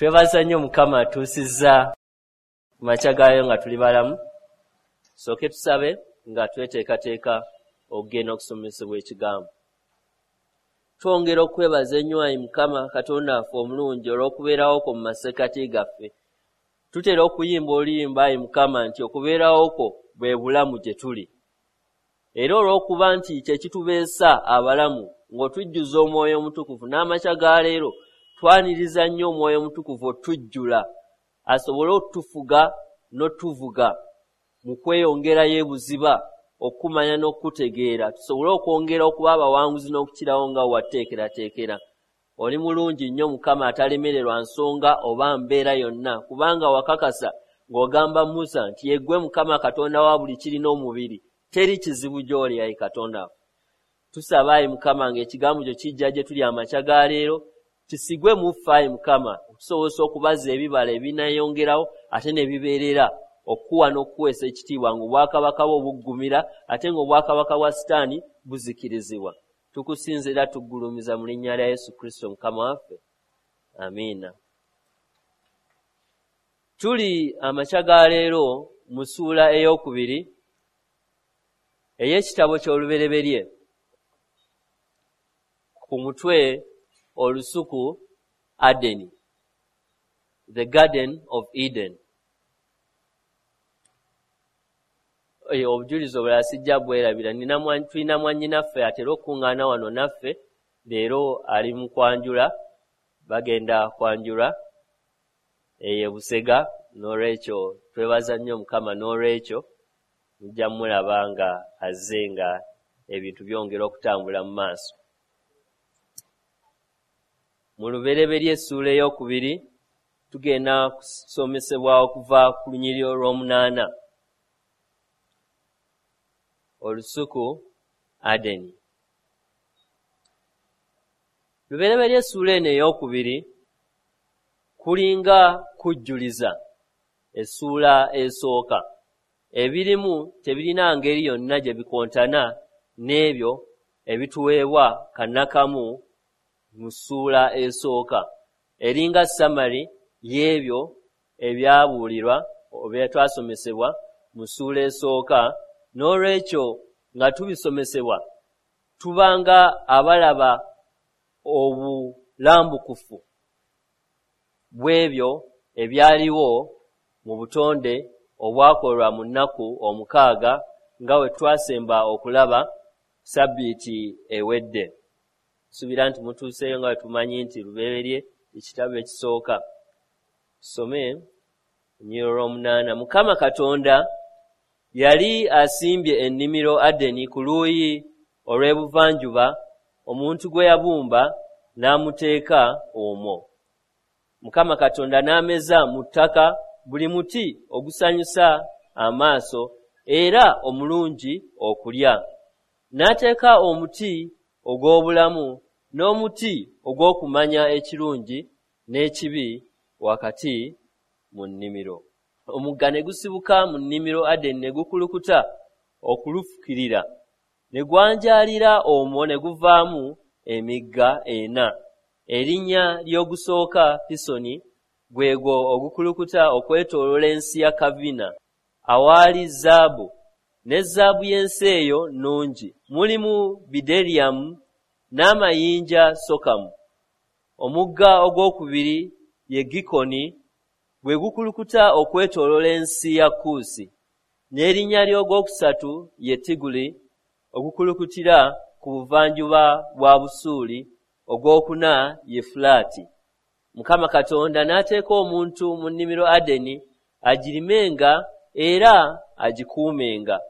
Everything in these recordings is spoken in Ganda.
Twebaza nnyo Mukama atuusizza ku makya gaayo nga tuli balamu. Tusooke tusabe nga tweteekateeka okugenda okusomesebwa ekigambo. Twongera okwebaza ennyo ayi Mukama Katonda waffe omulungi olw'okubeerawo kwo mu masekkati gaffe. Tutera okuyimba oluyimba ayi Mukama nti okubeerawo kwo bwe bulamu gye tuli. Era olw'okuba nti kye kitubeesa abalamu ng'otujjuza Omwoyo Omutukuvu, n'amakya ga leero twaniriza nnyo Omwoyo Omutukuvu otujjula asobole otufuga n'otuvuga mu kweyongerayo ebuziba okumanya n'okutegeera, tusobole okwongera okuba abawanguzi n'okukirawo nga wateekerateekera. Oli mulungi nnyo Mukama atalemererwa nsonga oba mbeera yonna, kubanga wakakasa ng'ogamba Musa nti yeggwe Mukama Katonda wa buli kirina omubiri, teri kizibu gy'oli ayi Katonda. Tusaba ayi Mukama ng'ekigambo kyo kijja gye tuli amakya ga leero, kisigwe mu ffe ayi Mukama, okutusobozesa okubaza ebibala ebinaayongerawo ate ne bibeerera okuwa n'okuweesa ekitiibwa ng'obwakabaka bwo buggumira ate ng'obwakabaka bwa Sitaani buzikirizibwa. Tukusinza era tuggulumiza mu linnya lya Yesu Kristo Mukama waffe. Amiina. Tuli amakya ga leero mu ssuula ey'okubiri ey'ekitabo ky'Olubereberye ku mutwe olusuku Adeni, the Garden of Eden. Obujulizi obulala sijja bwerabira. Tulina mwannyinaffe atera okukuŋŋaana wano naffe leero ali mu kwanjula, bagenda kwanjula eyo e Busega, n'olwekyo twebaza nnyo Mukama n'olwekyo mujja mulaba nga azze nga ebintu byongera okutambula mu maaso. Mu Lubereberye essuula ey'okubiri tugenda kusomesebwa okuva ku lunyiriri olw'omunaana. Olusuku Adeni. Lubereberye essuula eno ey'okubiri kulinga kujjuliza essuula esooka. Ebirimu tebirina ngeri yonna gye bikontana n'ebyo ebituweebwa kannakamu mu ssuula esooka. Eringa summary y'ebyo ebyabuulirwa oba twasomesebwa mu ssuula esooka. N'olwekyo nga tubisomesebwa tubanga abalaba obulambukufu bw'ebyo ebyaliwo mu butonde obwakolwa mu nnaku omukaaga nga bwe twasemba okulaba sabbiiti ewedde. Nsuubira nti mutuuseeyo nga bwe tumanyi nti Lubereberye ekitabo ekisooka. Tusome olunyiriri olw'omunaana. Mukama Katonda yali asimbye ennimiro Adeni ku luuyi olw'ebuvanjuba, omuntu gwe yabumba n'amuteeka omwo. Mukama Katonda n'ameza mu ttaka buli muti ogusanyusa amaaso era omulungi okulya. N'ateeka omuti ogw'obulamu n'omuti ogw'okumanya ekirungi n'ekibi wakati mu nnimiro. Omugga ne gusibuka mu nnimiro Adeni ne gukulukuta okulufukirira, ne gwanjaalira omwo ne guvaamu emigga ena. Erinnya ly'ogusooka Pisoni, gwe gwo ogukulukuta okwetooloola ensi ya Kavina, awaali zaabu, ne zaabu y'ensi eyo nnungi. Mulimu bideriamu n'amayinja sokamu. Omugga ogwokubiri ye Gikoni, gwe gukulukuta okwetooloola ensi ya Kuusi. N'erinnya ly'ogwokusatu ye Tiguli, ogukulukutira ku buvanjuba bwa Busuuli. Ogwokuna ye Fulaati. Mukama Katonda n'ateeka omuntu mu nnimiro Adeni agirimenga era agikuumenga.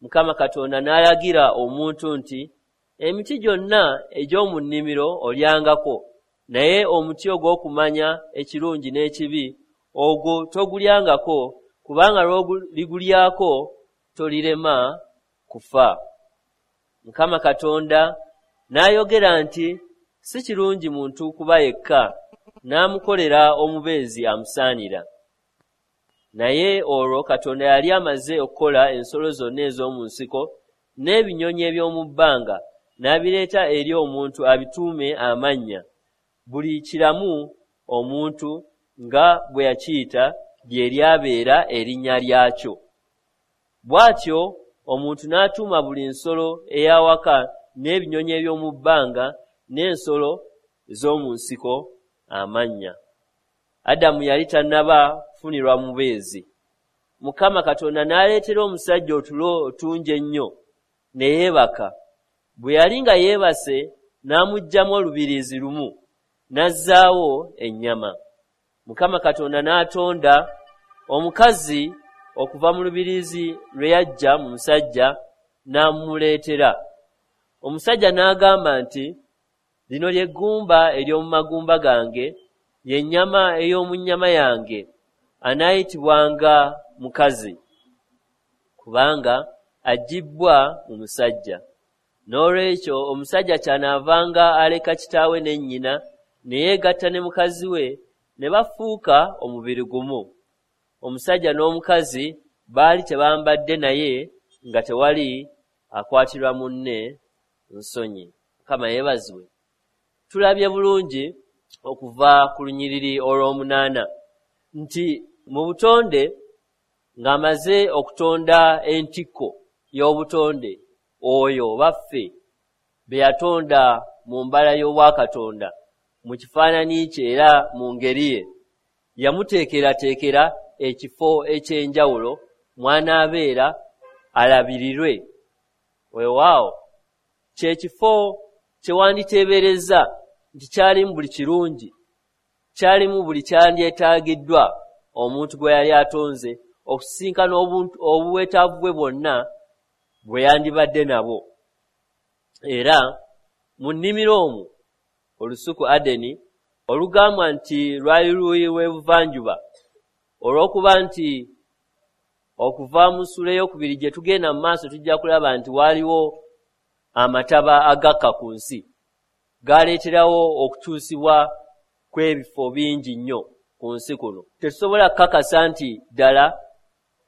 Mukama Katonda n'alagira omuntu nti, emiti gyonna egy'omu nnimiro olyangako, naye omuti ogw'okumanya ekirungi n'ekibi ogwo togulyangako, kubanga lw'oligulyako tolirema kufa. Mukama Katonda n'ayogera nti, si kirungi muntu kuba yekka, n'amukolera omubeezi amusaanira. Naye olwo Katonda yali amaze okukola ensolo zonna ez'omu nsiko n'ebinyonyi eby'omu bbanga, n'abireeta eri omuntu abituume amannya, buli kiramu omuntu nga bwe yakiyita lye lyabeera erinnya lyakyo. Bw'atyo omuntu n'atuuma buli nsolo ey'awaka n'ebinyonyi eby'omu bbanga n'ensolo ez'omu nsiko amannya. Adamu yali tannaba kufunirwa mubeezi. Mukama Katonda n'aleetera omusajja otulo otungi ennyo, ne yeebaka. Bwe yali nga yeebase, n'amuggyamu olubiriizi lumu, n'azzaawo ennyama. Mukama Katonda n'atonda omukazi okuva mu lubiriizi lwe yaggya mu musajja, n'amumuleetera. Omusajja n'agamba nti, Lino lye ggumba ery'omu magumba gange, ye nnyama ey'omu nnyama yange, anaayitibwanga mukazi, kubanga aggibbwa mu musajja. Noolwekyo omusajja ky'anaavanga aleka kitaawe ne nnyina, ne yeegatta ne mukazi we, ne bafuuka omubiri gumu. Omusajja n'omukazi baali tebambadde naye nga tewali akwatirwa munne nsonyi. Mukama yeebazibwe. Tulabye bulungi okuva ku lunyiriri olw'omunaana nti mu butonde ng'amaze okutonda entikko y'obutonde oyo baffe be yatonda mu mbala y'obwakatonda mu kifaananyi kye era mu ngeri ye, yamuteekerateekera ekifo eky'enjawulo mw'anaabeera alabirirwe. Weewaawo, kye kifo kye wanditeeberezza nti kyalimu buli kirungi, kyalimu buli kyandyetaagiddwa omuntu gwe yali atonze okusisinkana obwetaavu bwe bwonna bwe yandibadde nabwo. Era mu nnimiro omwo, olusuku Adeni, olugambwa nti lwali luuyi lw'ebuvanjuba, olw'okuba nti okuva mu ssuula ey'okubiri gye tugenda mu maaso tujja kulaba nti waaliwo amataba agakka ku nsi, gaaleeterawo okukyusibwa kw'ebifo bingi nnyo ku nsi kuno. Tetusobola kukakasa nti ddala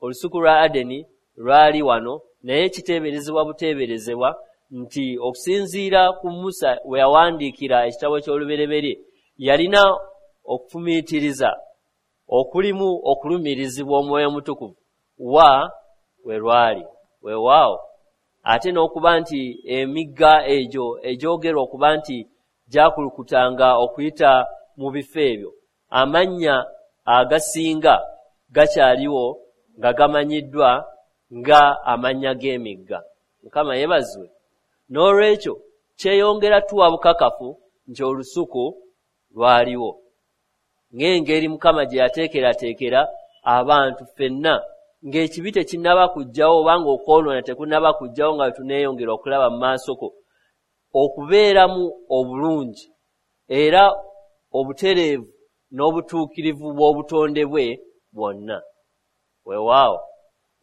olusuku lwa Adeni lwali wano, naye kiteeberezebwa buteeberezebwa nti okusinziira ku Musa we yawandiikira ekitabo ky'Olubereberye, yalina okufumiitiriza okulimu okulumirizibwa Omwoyo Omutukuvu wa we lwali. Weewaawo, ate n'okuba nti emigga egyo egyogerwa okuba nti gyakulukutanga okuyita mu bifo ebyo, amannya agasinga gakyaliwo nga gamanyiddwa nga amannya g'emigga. Mukama yeebazibwe. N'olwekyo kyeyongera tuwa bukakafu nti olusuku lwaliwo. Ng'engeri Mukama gye yateekerateekera abantu ffenna ng'ekibi tekinnaba kujjawo oba ng'okwonoona tekunnaba kujjawo nga bwe tuneeyongera okulaba mu maasoko, okubeeramu obulungi era obutereevu n'obutuukirivu bw'obutonde bwe bwonna. Weewaawo,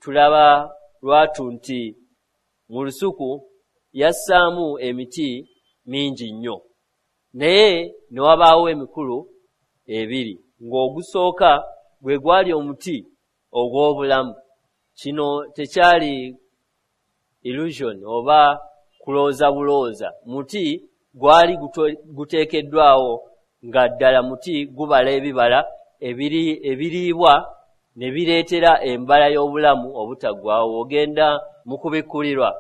tulaba lwatu nti mu lusuku yassaamu emiti mingi nnyo, naye ne wabaawo emikulu ebiri, ng'ogusooka gwe gwali omuti ogw'obulamu. Kino tekyali illusion oba kulowooza bulowooza. Muti gwali guteekeddwawo nga ddala muti gubala ebibala ebiriibwa ne bireetera embala y'obulamu obutaggwaawo. Bw'ogenda mu Kubikkulirwa,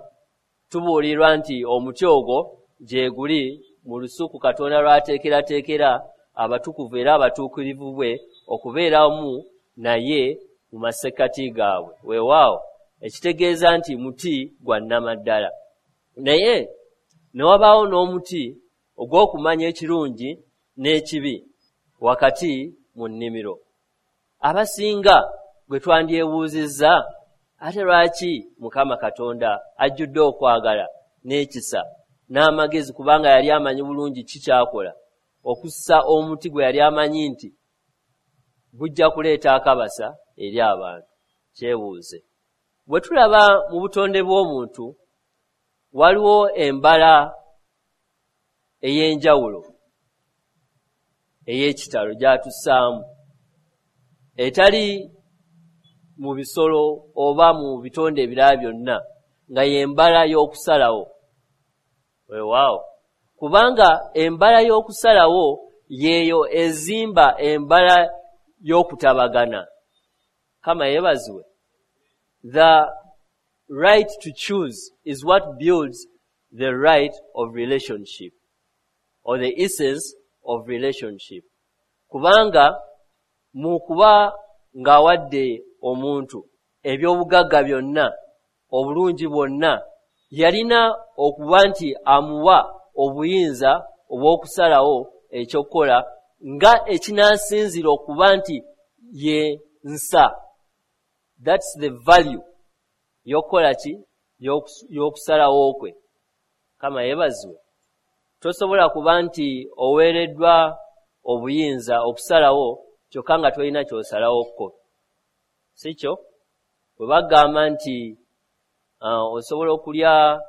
tubuulirwa nti omuti ogwo gyeguli mu lusuku Katonda lw'ateekerateekera abatukuvu era abatuukirivu bwe okubeeramu naye mu masekkati gaabwe. Weewaawo, ekitegeeza nti muti gwa nnamaddala. Naye ne wabaawo n'omuti ogw'okumanya ekirungi n'ekibi wakati mu nnimiro. Abasinga gwe twandyebuuzizza, ate lwaki Mukama Katonda ajjudde okwagala n'ekisa n'amagezi kubanga yali amanyi bulungi ki ky'akola, okussa omuti gwe yali amanyi nti gujja kuleeta akabasa eri abantu? Kyebuuze. Bwe tulaba mu butonde bw'omuntu, waliwo embala ey'enjawulo ey'ekitalo gy'atussaamu etali mu bisolo oba mu bitonde ebirala byonna, nga y'embala y'okusalawo. Weewaawo, kubanga embala y'okusalawo y'eyo ezimba embala y'okutabagana. Kama yeebazibwe. The right to choose is what builds the right of relationship or the essence of relationship. Kubanga mu kuba ng'awadde omuntu eby'obugagga byonna, obulungi bwonna, yalina okuba nti amuwa obuyinza obw'okusalawo ekyokukola nga ekinaasinzira okuba nti ye nsa. That's the value y'okukola ki? Y'okusalawo kwe. Kama yeebazibwe. Tosobola kuba nti oweereddwa obuyinza okusalawo kyokka nga tolina ky'osalawo kko. Si kyo? Bwe bagamba nti osobola okulya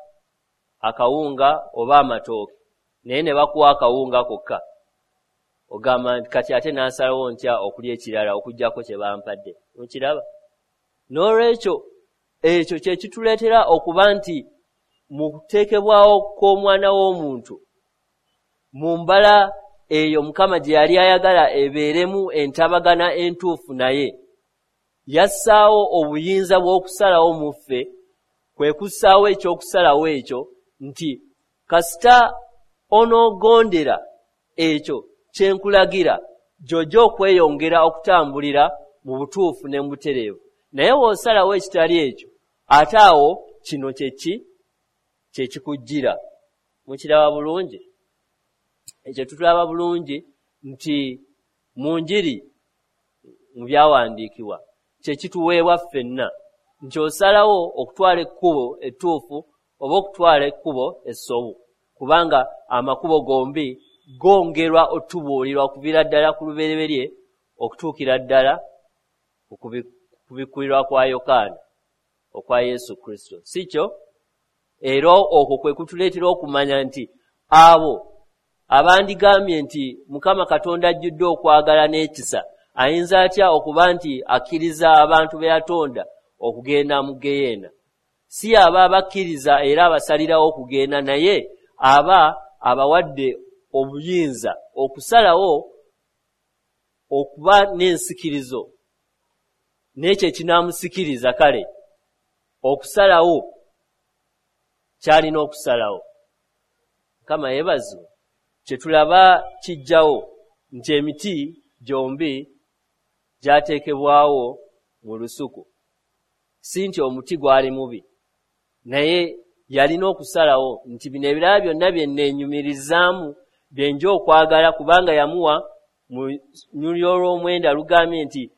akawunga oba amatooke, naye ne bakuwa akawunga kokka, ogamba nti kati ate n'asalawo ntya okulya ekirala okuggyako kye bampadde. Mukiraba? N'olwekyo ekyo kye kituleetera okuba nti mu kuteekebwawo kw'omwana w'omuntu mu mbala eyo Mukama gye yali ayagala ebeeremu entabagana entuufu, naye yassaawo obuyinza bw'okusalawo mu ffe, kwe kussaawo ekyokusalawo ekyo nti kasita onoogondera ekyo kye nkulagira, gy'ojja okweyongera okutambulira mu butuufu ne mu butereevu. Naye bw'osalawo ekitali ekyo, ate awo kino kye ki? Kye kikujjira. Mukiraba bulungi? Ekyo tutulaba bulungi nti mu njiri mu byawandiikibwa kye kituweebwa ffenna, nti osalawo okutwala ekkubo ettuufu oba okutwala ekkubo essobu, kubanga amakubo gombi gongerwa otubuulirwa okuviira ddala ku lubereberye okutuukira ddala ku kubikkulirwa kwa Yokaana okwa Yesu Kristo. Si kyo? Era okwo kwe kutuleetera okumanya nti abo abandigambye nti Mukama Katonda ajjudde okwagala n'ekisa, ayinza atya okuba nti akkiriza abantu be yatonda okugenda mu ggeyeena? Si aba abakkiriza era abasalirawo okugenda, naye aba abawadde obuyinza okusalawo okuba n'ensikirizo n'ekyo ekinaamusikiriza, kale okusalawo ky'alina okusalawo. Mukama yeebazibwe. Kye tulaba kijjawo nti emiti gyombi gyateekebwawo mu lusuku. Si nti omuti gwali mubi, naye yalina okusalawo nti bino ebirala byonna bye nneenyumirizaamu bye nja okwagala, kubanga yamuwa mu lunyiriri olw'omwenda lugambye nti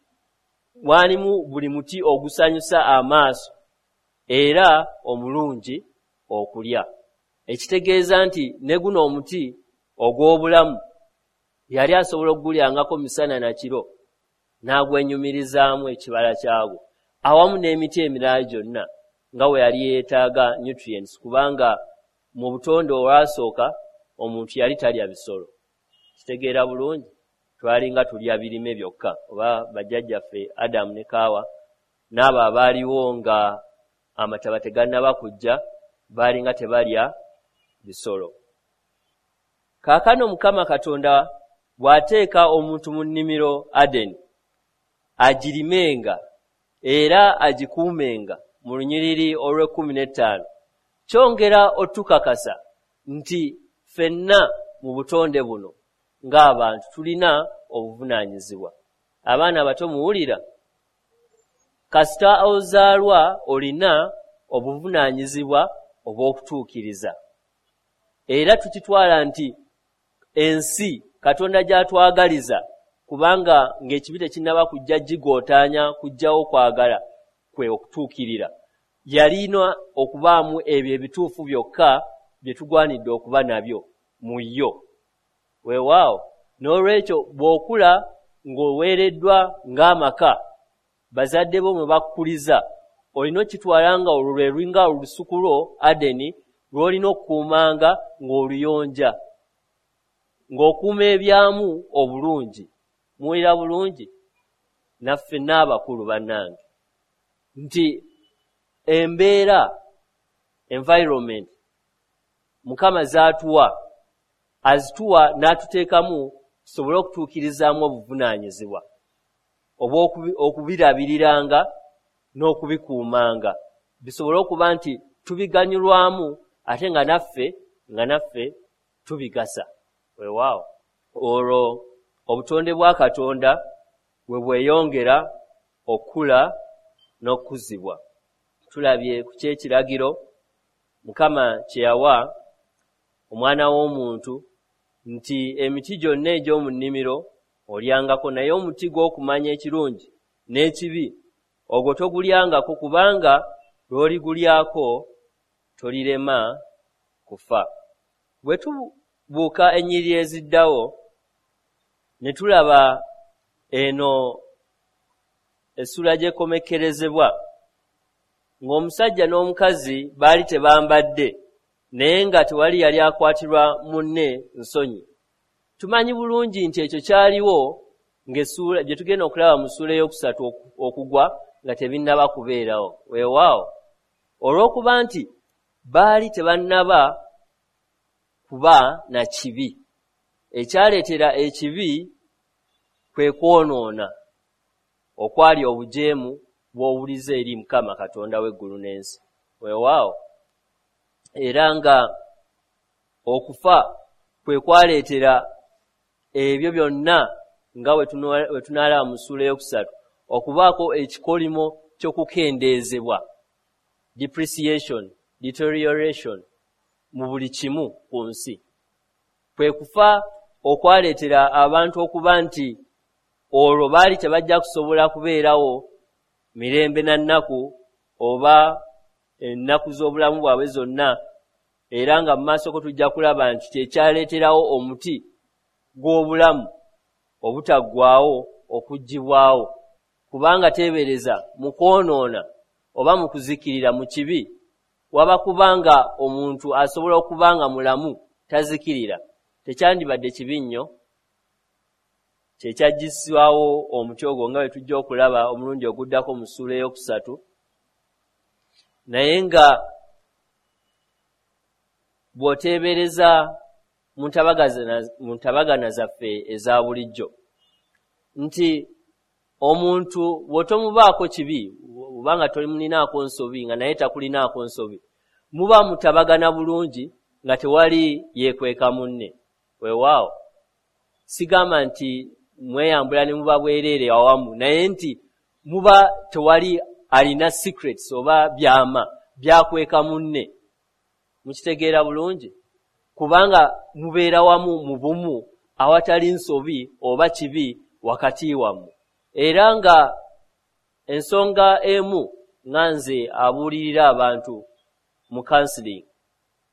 mwalimu buli muti ogusanyusa amaaso era omulungi okulya. Ekitegeeza nti ne guno omuti ogw'obulamu yali asobola okugulyangako misana na kiro n'agwenyumirizaamu ekibala kyagwo, awamu n'emiti emirala gyonna nga bwe yali yeetaaga nutrients, kubanga mu butonde olwasooka omuntu yali talya bisolo. Kitegeera bulungi? Twalinga tulya birime byokka, oba bajjajjaffe Adamu ne Kaawa n'abo abaaliwo nga amataba tegannaba kujja baalinga tebalya bisolo. Kaakano Mukama Katonda bw'ateeka omuntu mu nnimiro Adeni agirimenga era agikuumenga mu lunyiriri olw'ekkumi n'ettaano, kyongera otukakasa nti ffenna mu butonde buno ng'abantu tulina obuvunaanyizibwa. Abaana abato muwulira? Kasita ozaalwa olina obuvunaanyizibwa obw'okutuukiriza. Era tukitwala nti ensi Katonda gy'atwagaliza, kubanga ng'ekibi tekinnaba kujja gigootaanya kuggyawo kwagala kwe okutuukirira, yalina okubaamu ebyo ebituufu byokka bye tugwanidde okuba nabyo mu yo. Weewaawo, n'olwekyo bw'okula ng'oweereddwa ng'amaka bazadde bo mwe bakukuliza, olina okukitwala nga olwo lwe lulinga olusuku lwo Adeni lw'olina okukuumanga ng'oluyonja, ng'okuuma ebyamu obulungi. Muwulira bulungi? Naffe n'abakulu bannange nti embeera, environment Mukama z'atuwa, azituwa n'atuteekamu tusobole okutuukirizaamu obuvunaanyizibwa. obw'okubirabiriranga n'okubikuumanga, bisobole okuba nti tubiganyulwamu ate nga naffe tubigasa. Weewaawo olwo obutonde bwa Katonda bwe bweyongera okukula n'okukuzibwa. Tulabye ku ky'ekiragiro Mukama kye yawa omwana w'omuntu nti emiti gyonna egy'omu nnimiro olyangako, naye omuti gw'okumanya ekirungi n'ekibi ogwo togulyangako, kubanga lw'oligulyako tolirema kufa. Bwe tubuuka ennyiriri eziddawo ne tulaba eno essula gy'ekomekkerezebwa ng'omusajja n'omukazi baali tebambadde, naye nga tewali yali akwatirwa munne nsonyi. Tumanyi bulungi nti ekyo kyaliwo ng'essuula gye tugenda okulaba mu ssuula ey'okusatu okugwa nga tebinnaba kubeerawo. Weewaawo olw'okuba nti baali tebannaba kuba na kibi, ekyaleetera ekibi kwe kwonoona okwali obujeemu bw'owulize eri Mukama Katonda w'eggulu n'ensi. Weewaawo era nga okufa kwe kwaleetera ebyo byonna nga we tunaalaba mu ssuula ey'okusatu okubaako ekikolimo ky'okukendeezebwa, depreciation, deterioration mu buli kimu ku nsi. Kwe kufa okwaleetera abantu okuba nti olwo baali tebajja kusobola kubeerawo mirembe na nnaku oba ennaku z'obulamu bwabwe zonna, era nga mu maaso ko tujja kulaba nti kyekyaleeterawo omuti gw'obulamu obutaggwaawo okuggyibwawo, kubanga teebereza mu kwonoona oba mu kuzikirira mu kibi waba kubanga omuntu asobola okuba nga mulamu tazikirira, tekyandibadde kibi nnyo. Kyekyaggyisibwawo omuti ogwo nga bwe tujja okulaba omulundi oguddako mu ssuula ey'okusatu. Naye nga bw'oteebereza mu ntabagana zaffe eza bulijjo nti omuntu bw'otomubaako kibi, obanga tolimulinaako nsobi nga naye takulinaako nsobi, muba mutabagana bulungi nga tewali yeekweka munne. Weewaawo sigamba nti mweyambula ne muba bwereere awamu, naye nti muba tewali alina secrets oba byama byakweka munne. Mukitegeera bulungi, kubanga mubeera wamu mu bumu awatali nsobi oba kibi wakati wammwe. Era nga ensonga emu nga nze abuulirira abantu mu counseling,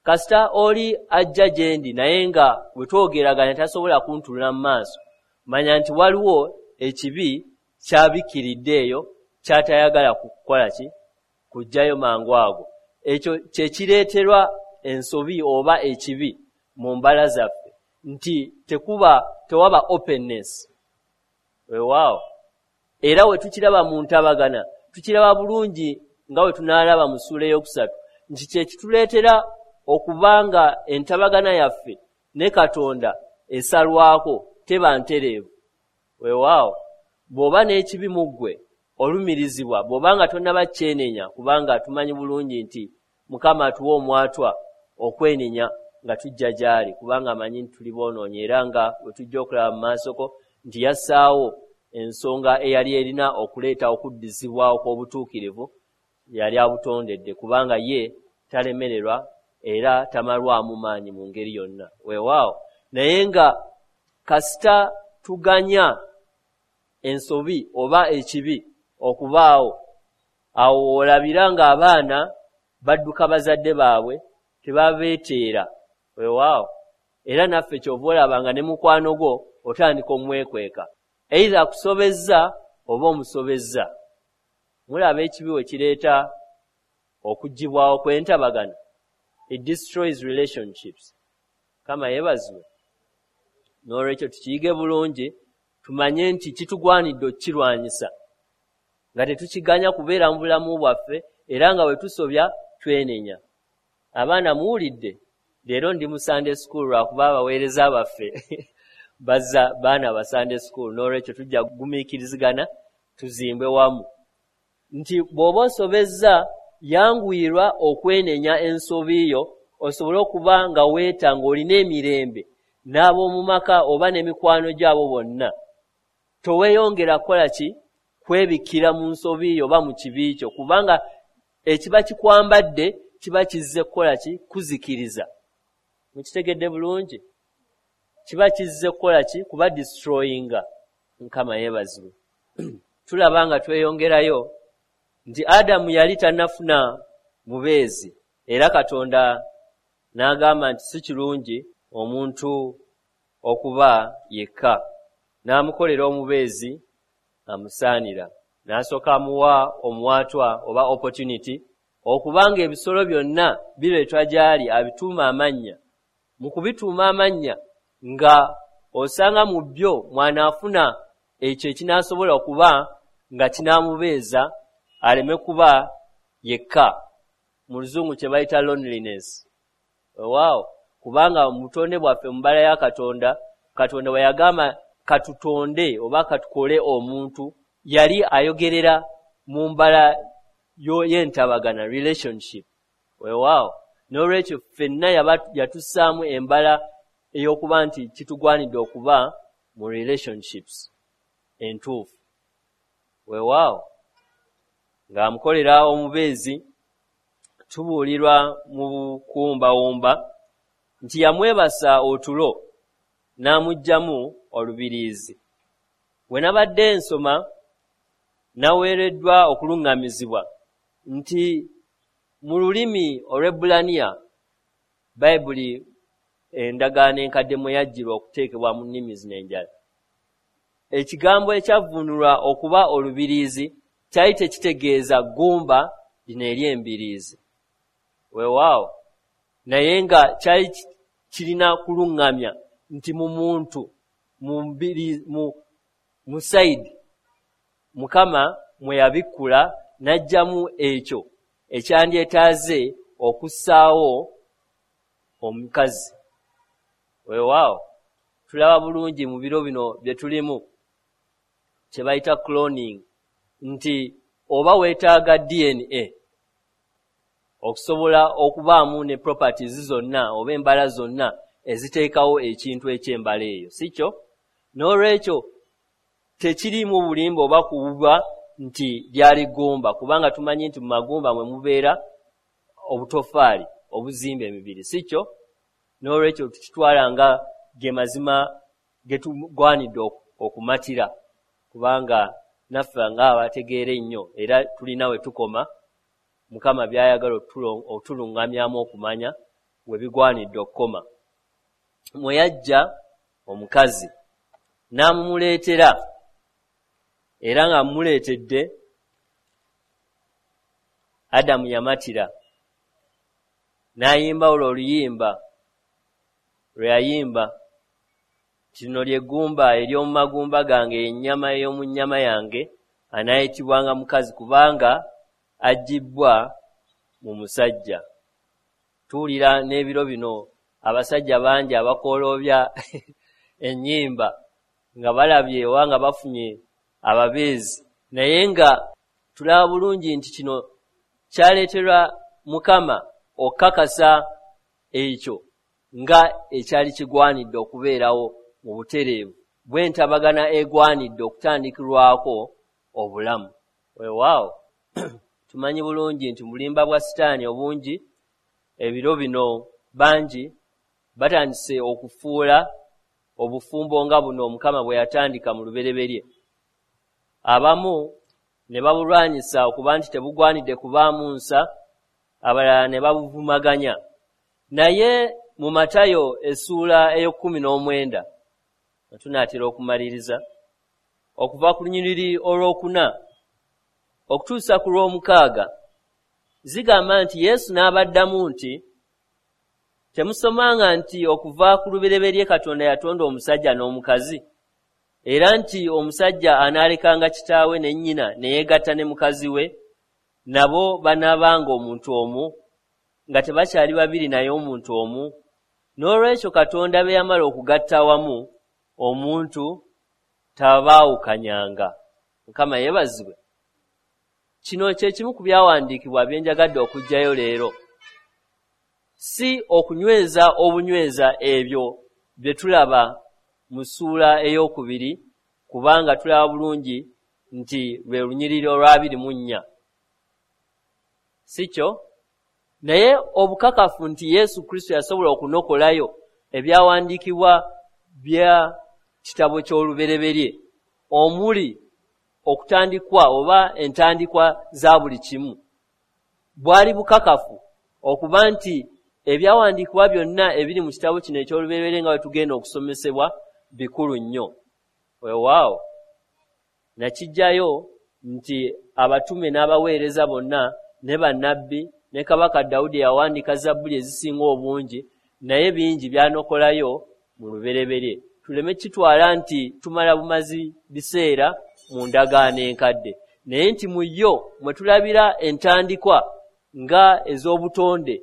kasita oli ajja gye ndi naye nga bwe twogeraganya tasobola kuntunula mu maaso, manya nti waliwo ekibi kyabikkiridde eyo ky'atayagala kukola ki, kuggyayo mangu ago. Ekyo kye kireeterwa ensobi oba ekibi mu mbala zaffe, nti tewaba openness. Weewaawo era we tukiraba mu ntabagana, tukiraba bulungi nga we tunaalaba mu ssuula ey'okusatu nti kye kituleetera okuba nga entabagana yaffe ne Katonda esalwako, teba ntereevu. Weewaawo bw'oba n'ekibi mu ggwe olumirizibwa, bw'oba nga tonnaba kyenenya, kubanga tumanyi bulungi nti Mukama atuwa omwatwa okwenenya nga tujja gy'ali, kubanga amanyi nti tuli boonoonyi, era nga we tujja okulaba mu maasoko nti yassaawo ensonga eyali erina okuleeta okuddizibwawo kw'obutuukirivu, yali abutondedde, kubanga ye talemererwa era tamalwamu maanyi mu ngeri yonna. Weewaawo naye nga kasita tuganya ensobi oba ekibi okubaawo, awo olabira ng'abaana badduka bazadde baabwe tebabeeteera. Weewaawo era naffe ky'ova olaba nga ne mukwano gwo otandika omwekweka, either akusobezza oba omusobezza. Mulaba ekibi we kireeta okuggyibwawo kw'entabagana, it destroys relationships. Mukama yeebazibwe. N'olwekyo tukiyige bulungi, tumanye nti kitugwanidde okukirwanyisa nga tetukiganya kubeera mu bulamu bwaffe, era nga bwe tusobya twenenya. Abaana muwulidde, leero ndi mu Sunday school lwakuba abaweereza baffe bazza baana ba Sunday school, n'olwekyo tujja kugumiikirizigana Tuzimbe wamu. Nti bw'oba osobezza, yanguyirwa okwenenya ensobi yo, osobole okuba nga weeta ng'olina emirembe n'ab'omu maka oba n'emikwano gyabo bonna. Toweeyongera kukola ki? Kwebikkira mu nsobi yo oba mu kibi kyo, kubanga ekiba kikwambadde kiba kizze kukola ki? Kuzikiriza. Mukitegedde bulungi? Kiba kizze kukola ki? Kuba destroyinga. Mukama yeebazibwe. Tulaba nga tweyongerayo nti Adamu yali tannafuna mubeezi, era Katonda n'agamba nti si kirungi omuntu okuba yekka, n'amukolera omubeezi amusaanira. N'asooka amuwa omuwaatwa oba opportunity okubanga ebisolo byonna bireetwa gy'ali abituuma amannya. Mu kubituuma amannya nga osanga mu byo mw'anaafuna ekyo ekinaasobola okuba nga kinaamubeeza aleme kuba yekka, mu Luzungu kye bayita loneliness. Weewaawo, kubanga mu butonde bwaffe mu mbala ya Katonda, Katonda bwe yagamba katutonde oba katukole omuntu, yali ayogerera mu mbala y'entabagana, relationship. Weewaawo, n'olwekyo ffenna yatussaamu embala ey'okuba nti kitugwanidde okuba mu relationships entuufu. Weewaawo, ng'amukolera omubeezi, tubuulirwa mu bukumbawumba nti yamwebasa otulo n'amuggyamu olubiriizi. We nabadde nsoma naweereddwa okuluŋŋamizibwa nti mu lulimi Olwebbulaniya, Bayibuli endagaano enkadde mwe yajjirwa okuteekebwa mu nnimi zino endala, ekigambo ekyavvuunulwa okuba olubiriizi kyali tekitegeeza ggumba lino ery'embiriizi. Weewaawo, naye nga kyali kirina kuluŋŋamya nti mu muntu, mu sayidi Mukama mwe yabikkula n'aggyamu ekyo ekyandyetaaze okussaawo omukazi. Weewaawo, tulaba bulungi mu biro bino bye tulimu kye bayita cloning, nti oba weetaaga DNA okusobola okubaamu ne properties zonna oba embala zonna eziteekawo ekintu eky'embala eyo, si kyo? N'olwekyo tekiriimu bulimba oba kuwuba nti lyali ggumba, kubanga tumanyi nti mu magumba mwe mubeera obutoffaali obuzimba emibiri, si kyo? N'olwekyo tukitwala nga ge mazima ge tugwanidde okumatira, kubanga naffe ng'abategeera ennyo era tulina we tukoma Mukama by'ayagala otuluŋŋamyamu okumanya we bigwanidde okukoma. Mwe yajja omukazi n'amumuleetera, era ng'amumuleetedde Adamu yamatira n'ayimba olwo oluyimba lwe yayimba nti lino lye ggumba ery'omu magumba gange, ennyama ey'omu nnyama yange, anaayitibwanga mukazi kubanga aggibbwa mu musajja. Tuwulira n'ebiro bino abasajja bangi abakooloobya ennyimba nga balabye oba nga bafunye ababeezi, naye nga tulaba bulungi nti kino kyaleeterwa Mukama okukakasa ekyo nga ekyali kigwanidde okubeerawo mu butereevu bw'entabagana egwanidde okutandikirwako obulamu. Weewaawo, tumanyi bulungi nti mu bulimba bwa Sitaani obungi ebiro bino bangi batandise okufuula obufumbo nga buno Mukama bwe yatandika mu lubereberye. Abamu ne babulwanyisa okuba nti tebugwanidde kubaamu nsa, abalala ne babuvumaganya. Naye mu Matayo essuula ey'ekkumi n'omwenda, nga tunaatera okumaliriza, okuva ku lunyiriri olwokuna okutuusa ku lw'omukaaga, zigamba nti Yesu n'abaddamu nti, Temusomanga nti okuva ku lubereberye Katonda yatonda omusajja n'omukazi, era nti omusajja anaalekanga kitaawe ne nnyina ne yeegatta ne mukazi we, nabo banaabanga omuntu omu, nga tebakyali babiri naye omuntu omu? N'olwekyo Katonda be yamala okugatta awamu, omuntu tabaawukanyanga. Mukama yeebazibwe. Kino kye kimu ku byawandiikibwa bye njagadde okuggyayo leero, si okunyweza obunyweza ebyo bye tulaba mu ssuula 2, kubanga tulaba bulungi nti lwe lunyiriri olwa 24, si kyo? Naye obukakafu nti Yesu Kristo yasobola okunokolayo ebyawandiikibwa bya kitabo ky'Olubereberye omuli okutandikwa oba entandikwa za buli kimu, bwali bukakafu okuba nti ebyawandiikibwa byonna ebiri mu kitabo kino eky'Olubereberye nga bwe tugenda okusomesebwa bikulu nnyo. Weewaawo nakijjayo nti abatume n'abaweereza bonna ne bannabbi ne Kabaka Dawudi yawandiika zabbuli ezisinga obungi, naye bingi byanokolayo mu Lubereberye. Tuleme kitwala nti tumala bumazi biseera mu ndagaano enkadde, naye nti mu yo mwe tulabira entandikwa nga ez'obutonde,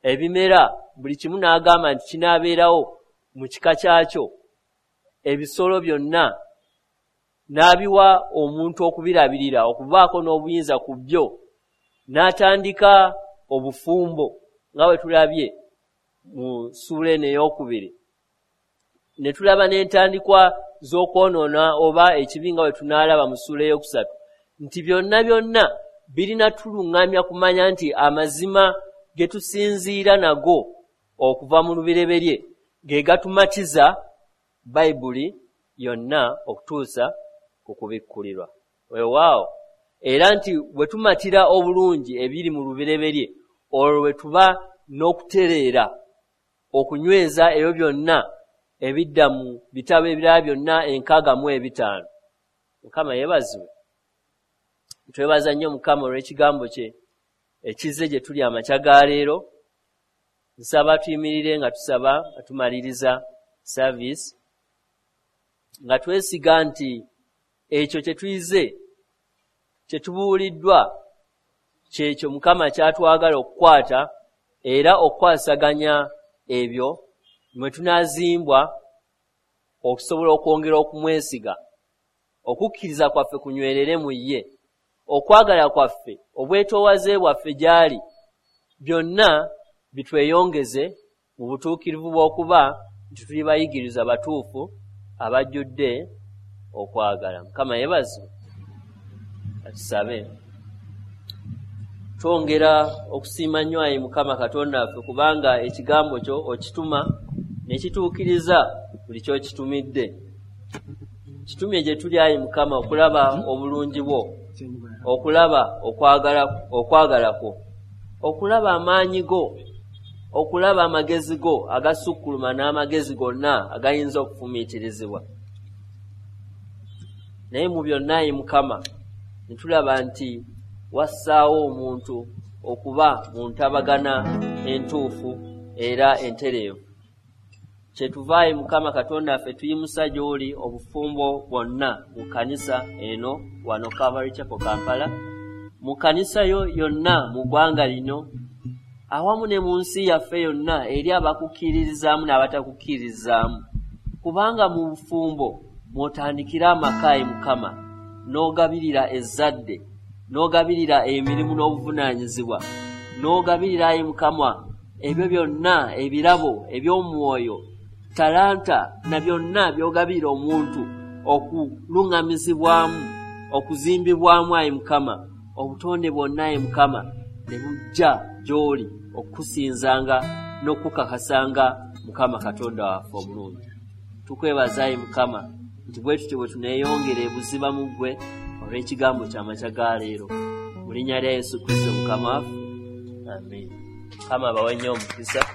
ebimera, buli kimu n'agamba nti kinaabeerawo mu kika kyakyo, ebisolo byonna n'abiwa omuntu okubirabirira, okubaako n'obuyinza ku byo, n'atandika obufumbo nga bwe tulabye mu ssuula eno 2, ne tulaba n'entandikwa z'okwonoona oba ekibi nga bwe tunaalaba mu ssuula 3, nti byonna byonna birina tuluŋŋamya kumanya nti amazima ge tusinziira nago okuva mu Lubereberye ge gatumatiza Bayibuli yonna okutuusa ku kubikkulirwa. Weewaawo era nti bwe tumatira obulungi ebiri mu Lubereberye, olwo bwe tuba n'okutereera okunyweza ebyo byonna ebidda mu bitabo ebirala byonna 65. Mukama yeebazibwe. Twebaza nnyo Mukama olw'ekigambo kye ekizze gye tuli amakya ga leero. Nsaba tuyimirire nga tusaba nga tumaliriza service, nga twesiga nti ekyo kye tuyize, kye tubuuliddwa, kyekyo Mukama kyatwagala okukwata era okukwasaganya ebyo mwe tunaazimbwa okusobola okwongera okumwesiga, okukkiriza kwaffe kunywerere mu ye, okwagala kwaffe, obwetoowaze bwaffe gy'ali, byonna bitweyongeze mu butuukirivu bw'okuba nti tuli bayigiriza batuufu abajjudde okwagala. Mukama yeebazibwe. Atusabe. Twongera okusiima nnyo ayi Mukama Katonda waffe, kubanga ekigambo kyo okituma ne kituukiriza buli ky'okitumidde. Kitumye gye tuli ayi Mukama okulaba obulungi bwo, okulaba okwagala kwo, okulaba amaanyi go, okulaba amagezi go agasukkuluma n'amagezi gonna agayinza okufumiitirizibwa. Naye mu byonna ayi Mukama ne tulaba nti wassaawo omuntu okuba mu ntabagana entuufu era entereevu. Kyetuva ayi Mukama Katonda waffe tuyimusa gy'oli obufumbo bwonna mu kkanisa eno wano Calvary Chapel Kampala, mu kkanisa yo yonna mu ggwanga lino, awamu ne mu nsi yaffe yonna eri abakukkiririzaamu n'abatakukkiririzaamu, kubanga mu bufumbo mw'otandikira amaka ayi Mukama, n'ogabirira ezzadde, n'ogabirira emirimu n'obuvunaanyizibwa, n'ogabirira ayi Mukama ebyo byonna ebirabo eby'omwoyo, talanta na byonna by'ogabirira omuntu okuluŋŋamizibwamu, okuzimbibwamu ayi Mukama, obutonde bwonna ayi Mukama ne bujja gy'oli okukusinzanga n'okukakasanga Mukama Katonda waffe omulungi. Tukwebaza ayi Mukama nti bwe tutyo bwe tuneeyongera ebuziba mu ggwe olw'ekigambo ky'amakya ga leero. Mu linnya lya Yesu Kristo Mukama waffe, amiina. Mukama abawe nnyo omukisa.